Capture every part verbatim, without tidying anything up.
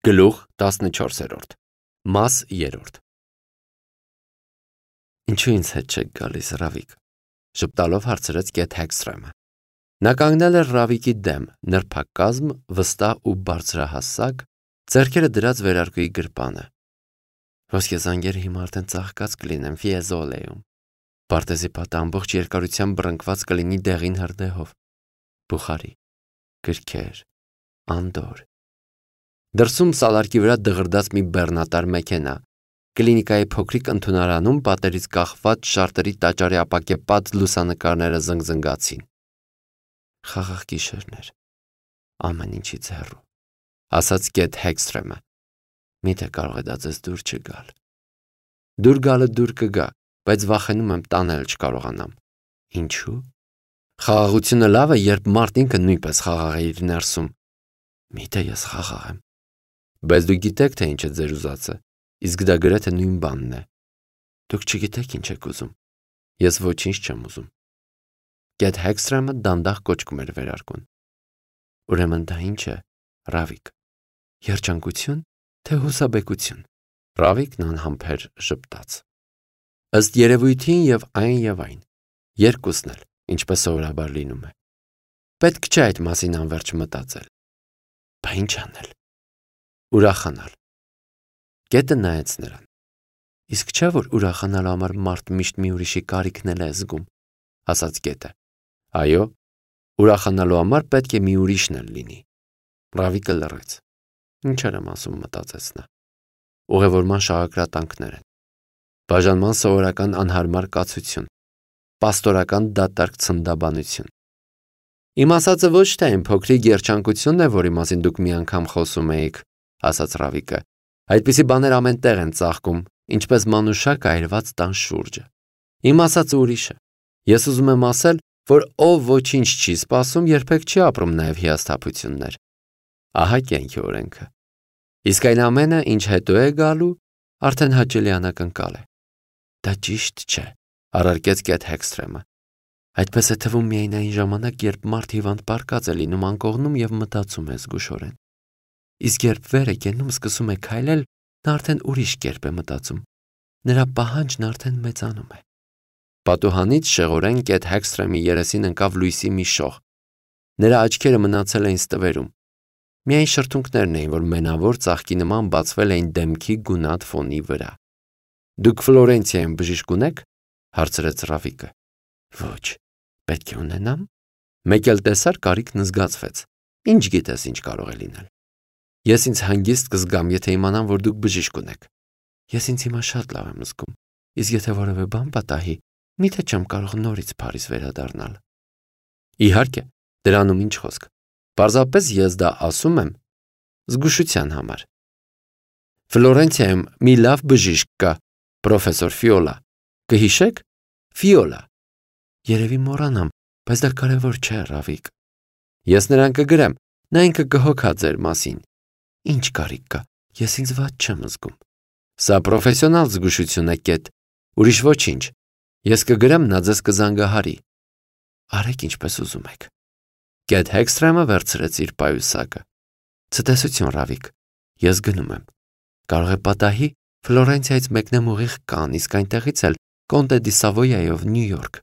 Գլուխ տասնչորսերորդ Մաս երրորդ Ինչու ինձ հետ չեք գալիս, Ռավիկ, ժպտալով հարցրեց Կեթ Հեքսթրեմը։ Նա կանգնել էր Ռավիկի դեմ, նրբակազմ, վստահ ու բարձրահասակ, ձեռքերը դրած վերարկուի գրպանը։ Ոսկեզանգերը հիմա արդեն ծաղկած կլինեն Ֆիեզոլեում։ Պարտեզի պատը ամբողջ երկարությամբ բռնկված կլինի դեղին հրդեհով։ Բուխարի, գրքեր, անդոր։ Դրսում սալարկի վրա դղրդաց մի բեռնատար մեքենա, կլինիկայի փոքրիկ ընդունարանում պատերից կախված շարտերի տաճարի ապակեպած լուսանկարները զնգզնգացին։ Խաղաղ գիշերներ, ամեն ինչից հեռու, ասաց Կեթ Հեքսթրեմը։ Միթե կարող է դա ձեզ դուր չգալ։ Դուր գալը դուր կգա, բայց վախենում եմ տանել չկարողանամ։ Ինչու՞։ Խաղաղությունը լավ է, երբ մարդ ինքը նույնպես խաղաղ է իր ներսում։ Միթե ես խաղաղ եմ։ Բայց դուք գիտեք, թե ինչ է ձեր ուզածը, իսկ դա գրեթե նույն բանն է։ Դուք չգիտեք ինչ եք ուզում։ Ես ոչինչ չեմ ուզում։ Կեթ Հեքսթրեմը դանդաղ կոճկում էր վերարկուն։ Ուրեմն դա ինչ է, Ռավիկ։ Երջանկություն, թե հուսաբեկություն։ Ռավիկն անհամբեր ժպտաց։ Ըստ երևույթին եւ այն եւ այն։ Երկուսն էլ, ինչպես սովորաբար լինում է։ Պետք չէ այդ մասին անverջ մտածել։ Բա ինչ անել։ Ուրախանալ։ Կետը նայեց նրան։ Իսկ չէ՞ որ ուրախանալու համար մարդ միշտ մի ուրիշի կարիքն էլ է զգում, ասաց Կետը։ Այո, ուրախանալու համար պետք է մի ուրիշն էլ լինի։ Ռավիկը լռեց։ Ինչեր եմ ասում, մտածեց նա։ Ուղևորման շաղակրատանքներ են։ Բաժանման սովորական անհարմար կացություն, պաստորական դատարկ ցնդաբանություն։ Իմ ասածը ոչ թե այն փոքրիկ երջանկությունն է, որի մասին դուք մի անգամ խոսում էիք, ասաց Ռավիկը։ Այդպիսի բաներ ամեն տեղ են ծաղկում, ինչպես մանուշակ այրված տան շուրջը։ Իմ ասածը ուրիշ է։ Ես ուզում եմ ասել, որ ով ոչինչ չի սպասում, երբեք չի ապրում նաև հիասթափություններ։ Ահա կյանքի օրենքը։ Իսկ այն ամենը, ինչ հետո է գալու, արդեն հաճելի անակնկալ է։ Դա ճիշտ չէ, առարկեց Կեթ Հեքսթրեմը։ Այդպես է թվում միայն այն ժամանակ, երբ մարդ հիվանդ պառկած է լինում անկողնում եւ մտածում է զգուշորեն։ Իսկ երբ վեր է կենում, սկսում է քայլել, նա արդեն ուրիշ կերպ է մտածում։ Նրա պահանջն արդեն մեծանում է։ Պատուհանից շեղորեն Կեթ Հեքսթրեմի երեսին ընկավ լույսի մի շող։ Նրա աչքերը մնացել էին ստվերում։ Միայն շրթունքներն էին, որ մենավոր ծաղկի նման բացվել էին դեմքի գունատ ֆոնի վրա։ Դուք Ֆլորենցիայում բժիշկ ունեք, հարցրեց Ռավիկը։ Ոչ, պետք է ունենամ։ Մեկ էլ տեսար կարիքն զգացվեց։ Ինչ գիտես, ինչ կարող է լինել։ Ես ինձ հանգիստ կզգամ, եթե իմանամ, որ դուք բժիշկ ունեք։ Ես ինձ հիմա շատ լավ եմ զգում։ Իսկ եթե որևէ բան պատահի, միթե չեմ կարող նորից Փարիզ վերադառնալ։ Իհարկե, դրանում ինչ խոսք։ Պարզապես ես դա ասում եմ զգուշության համար։ Ֆլորենցիայում մի լավ բժիշկ կա, պրոֆեսոր Ֆիոլա։ Կհիշեք։ Ֆիոլա։ Երևի մոռանամ, բայց դա կարևոր չէ, Ռավիկ։ Ես նրան կգրեմ, նա ինքը կհոգա ձեր մասին։ Ինչ կարիք կա, ես ինձ վատ չեմ զգում։ Սա պրոֆեսիոնալ զգուշություն է, Կեթ, ուրիշ ոչինչ։ Ես կգրեմ, նա ձեզ կզանգահարի։ Արեք ինչպես ուզում եք։ Կեթ Հեքսթրեմը վերցրեց իր պայուսակը։ Ցտեսություն, Ռավիկ, ես գնում եմ։ Կարող է պատահի Ֆլորենցիայից մեկնեմ ուղիղ Կանն, իսկ այնտեղից էլ Կոնտե դի Սավոյայով Նյու Յորք։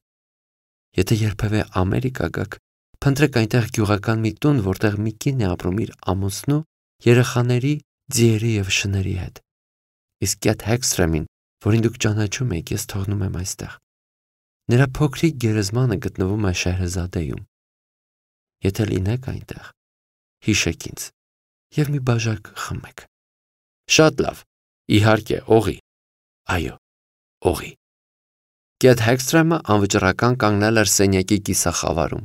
Եթե երբևէ Ամերիկա գաք, փնտրեք այնտեղ գյուղական մի տուն, որտեղ մի կին է ապրում իր ամուսնու, երեխաների, ձիերի եւ շների հետ։ Իսկ Կեթ Հեքսթրեմին, որին դուք ճանաչում եք, ես թողնում եմ այստեղ։ Նրա փոքրիկ գերեզմանը գտնվում է Շեհրեզադեյում։ Եթե լինեք այնտեղ, հիշեք ինձ եւ մի բաժակ խմեք։ Շատ լավ, իհարկե, օղի։ Այո, օղի։ Կեթ Հեքսթրեմը անվճռական կանգնել էր սենյակի կիսախավարում։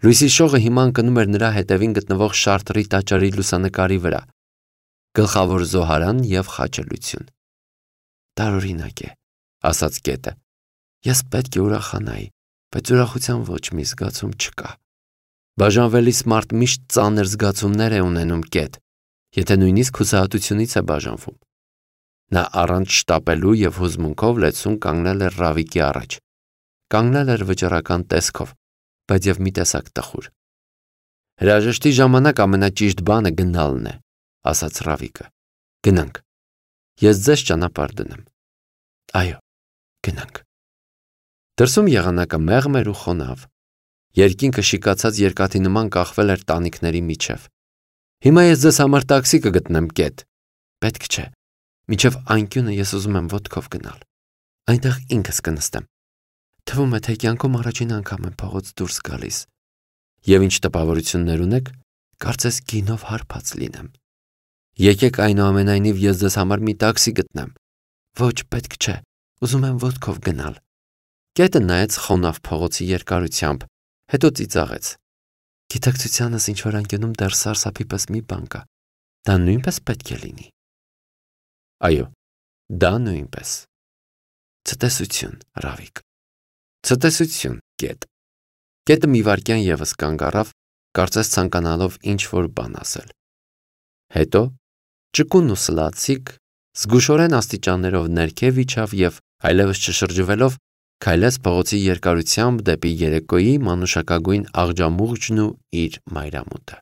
Լույսի շողը հիմա ընկնում էր նրա հետևին գտնվող շարտրի տաճարի լուսանկարի վրա։ Գլխավոր զոհարան եւ խաչելություն։ Տարօրինակ է, ասաց Կետը։ Ես պետք է ուրախանայի, բայց ուրախության ոչ մի զգացում չկա։ Բաժանվելիս մարդ միշտ ծանր զգացումներ է ունենում, Կեթ, եթե նույնիսկ հուսահատությունից է բաժանվում։ Նա առանց շտապելու եւ հուզմունքով լեցուն կանգնել էր Ռավիկի առաջ։ Կանգնել էր վճռական տեսքով, բայց եւ մի տեսակ տխուր։ Հրաժեշտի ժամանակ ամենաճիշտ բանը գնալն է, ասաց Ռավիկը։ Գնանք։ Ես ձեզ ճանապարհ դնեմ։ Այո, գնանք։ Դրսում եղանակը մեղմ էր ու խոնավ։ Երկինքը շիկացած երկաթի նման կախվել էր տանիքների միջև։ Հիմա ես ձեզ համար տաքսի կգտնեմ կետ։ Պետք չէ։ Մինչև անկյունը ես ուզում եմ ոտքով գնալ։ Այնտեղ ինքս կնստեմ։ Թվում է, թե կյանքում առաջին անգամ եմ փողոց դուրս գալիս։ Եվ ինչ տպավորություններ ունեք, կարծես գինով հարբած լինեմ։ Եկեք այնուամենայնիվ ես ձեզ համար մի տաքսի գտնեմ։ Ոչ, պետք չէ։ Ուզում եմ ոտքով գնալ։ Կետը նայեց խոնավ փողոցի երկարությամբ, հետո ծիծաղեց։ Գիտակցությանս ինչ որ անկյունում դեռ սարսափի պես մի բան կա։ Դա նույնպես պետք է լինի։ Այո, դա նույնպես։ Ցտեսություն, Ռավիկ։ Ցտեսություն, կետ։ Կետը մի վայրկյան ևս կանգ առավ, կարծես ցանկանալով ինչ-որ բան ասել։ Հետո ճկուն ու սլացիկ, զգուշորեն աստիճաններով ներքև իջավ և այլևս չշրջվելով քայլեց փողոցի երկարությամբ դեպի երեկոյի մանուշակագույն աղջամուղջն ու իր մայրամուտը։